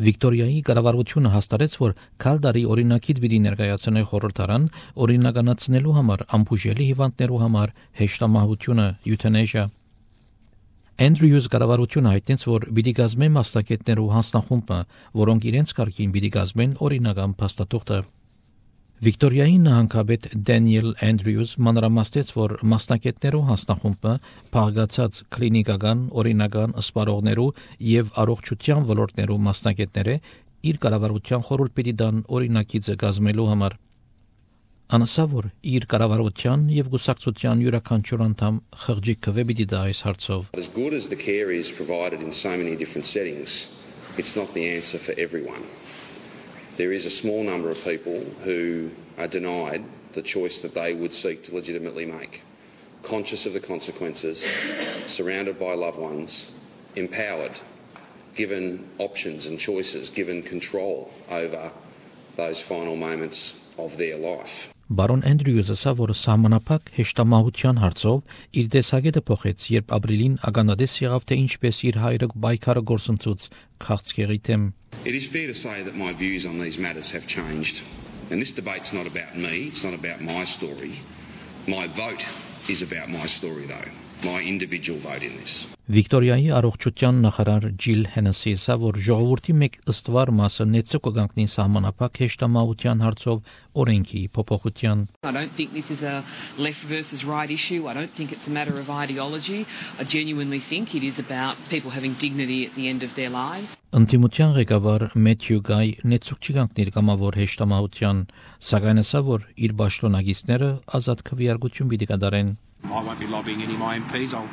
Վիկտորիայի կառավարությունը հաստատեց, որ քալդարի օրինակից պիտի ներկայացնի խորհրդարան օրինականացնելու համար ամբուժելի հիվանդներու համար հեշտամահությունը euthanasia. Andrews կառավարությունը հայտնեց, որ պիտի կազմի մասնակիցներու հանձնախումբը, որոնք իրենց կարգին պիտի կազմեն օրինական փաստաթուղթը. Վիկտորիայի նահանգապետ Դենիել Andrews մանրամասնեց, որ մասնակիցներու հանձնախումբը փաղկացած կլինիկական, օրինական սպառողներու եւ առողջության ոլորտներու մասնակիցները իր կառավարության խորհուրդ պիտի տան օրինակիցը կազմելու համար. Անասա որ իր կառավարության եւ գուսակցության յուրաքանչյուր անդամ խղճի քվե պիտի տա այս հարցով. As good as the care is provided in so many different settings, it's not the answer for everyone. There is a small number of people who are denied the choice that they would seek to legitimately make, conscious of the consequences, surrounded by loved ones, empowered, given options and choices, given control over those final moments of their life. Բարոն Andrews-ը ասա, որ սահմանափակ հեշտամահության հարցով իր տեսակետը փոխեց, երբ ապրիլին ականատես եղավ, թե ինչպես իր հայրը պայքարը գործընծուց քաղցկեղի թեմ. It is fair to say that my views on these matters have changed. And this debate's not about me, it's not about my story. My vote is about my story though, my individual vote in this. Վիկտորիայի առողջության նախարար Ջիլ Հենեսի ասա, որ ժողովրդի մեկ ըստվար մասը նեցը կգանքնի սահմանափակ հեշտամահության հարցով օրենքի փոփոխության. I don't think this is a left versus right issue. I don't think it's a matter of ideology. I genuinely think it is about people having dignity at the end of their lives. Ընդդիմության ղեկավար Մեթյու Գայ նեցուկ չգանքներ կամավոր հեշտամահության, սակայն ասա, որ իր պաշտոնագետները ազատ քվեարկություն պիտի կատարեն. I won't be lobbying any of my MPs. I'll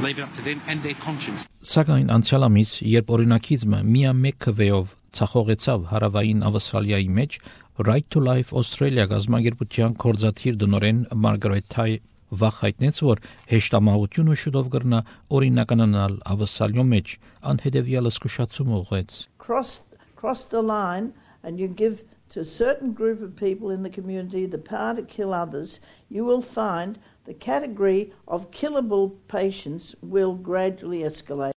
leave it up to them and their conscience. Սակայն անցյալ ամիս, երբ օրինակիզմը միամեկ քվեով ցախողեցավ հարավային Ավստրալիայի մեջ, Right to Life Australia գազագերբության կորզաթիր դնորեն Մարգարետ Թայ վախ հայտնեց, որ հեշտամահությունը շուտով կգրնա օրինականանալ Ավստրալիո մեջ, անհետևյալ զգուշացում ուղղեց. Cross the line and you give to a certain group of people in the community the power to kill others, you will find the category of killable patients will gradually escalate.